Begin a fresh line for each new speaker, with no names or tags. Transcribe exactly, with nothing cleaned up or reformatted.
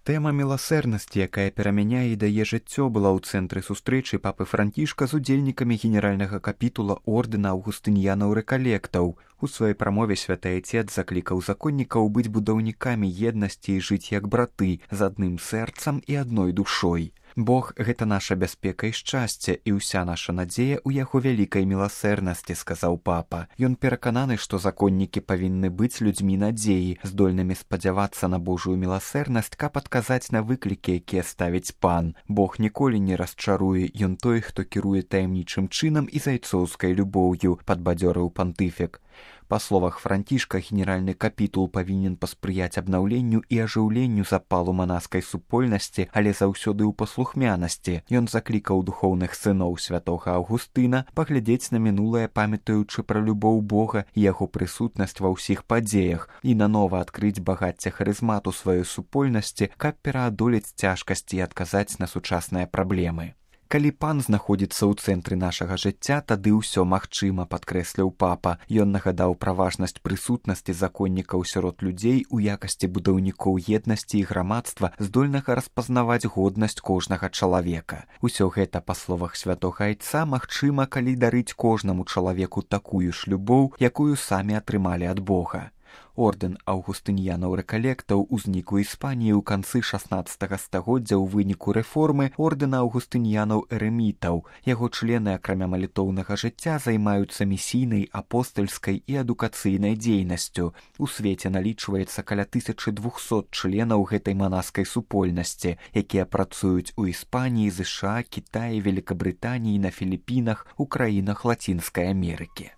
Тэма міласэрнасці, якая перамяняе і дае жыццё, была ў цэнтры сустрэчы папы Францішка з удзельнікамі генеральнага капітула ордэна аўгустыньянаў-рэкалектаў. У сваёй прамове святы айцец заклікаў законнікаў быць будаўнікамі еднасці і жыць як браты, з адным сэрцам і адной душой. Бог – гэта наша бяспека і шчасце, і ўся наша надзея ў яго вялікай міласэрнасці, сказаў папа. Ён перакананы, што законнікі павінны быць людзьмі надзеі, здольнымі спадзявацца на Божую міласэрнасць, каб адказаць на выклікі, якія ставіць пан. Бог ніколі не расчаруе, ён той, хто кіруе таямнічым чынам і зайцоўскай любоўю, падбадзёрыў пантыфік. Па словах Францішка, генеральны капітул павінен паспрыяць абнаўленню і ажыўленню запалу манаскай супольнасці, але заўсёды ў паслухмянасці. Ён заклікаў духоўных сыноў святога Аўгустына паглядзець на мінулае, памятаючы пра любоў Бога і яго прысутнасць ва ўсіх падзеях, і нанова адкрыць багацце харызмату сваёй супольнасці, каб пераадолець цяжкасці і адказаць на сучасныя праблемы. Калі пан знаходзіцца ў цэнтры нашага жыцця, тады ўсё магчыма, падкрэсліў папа. Ён нагадаў пра важнасць прысутнасці законнікаў сярод людзей у якасці будаўнікоў еднасці і грамадства, здольнага распазнаваць годнасць кожнага чалавека. Усё гэта, па словах святога айца, магчыма, калі дарыць кожнаму чалавеку такую ж любоў, якую самі атрымалі ад Бога. Ордэн аўгустыньянаў-рэкалектаў узнік у Іспаніі ў канцы шаснаццатага стагоддзя ў выніку рэформы ордэна аўгустыньянаў-эрэмітаў. Яго члены, акрамя малітоўнага жыцця, займаюцца місійнай, апостальскай і адукацыйнай дзейнасцю. У свеце налічваецца каля тысячы двухсот членаў гэтай манаскай супольнасці, якія працуюць у Іспаніі, ЗША, Кітаі, Великабрытаніі, на Філіпінах, у краінах Лацінскай Амерыкі.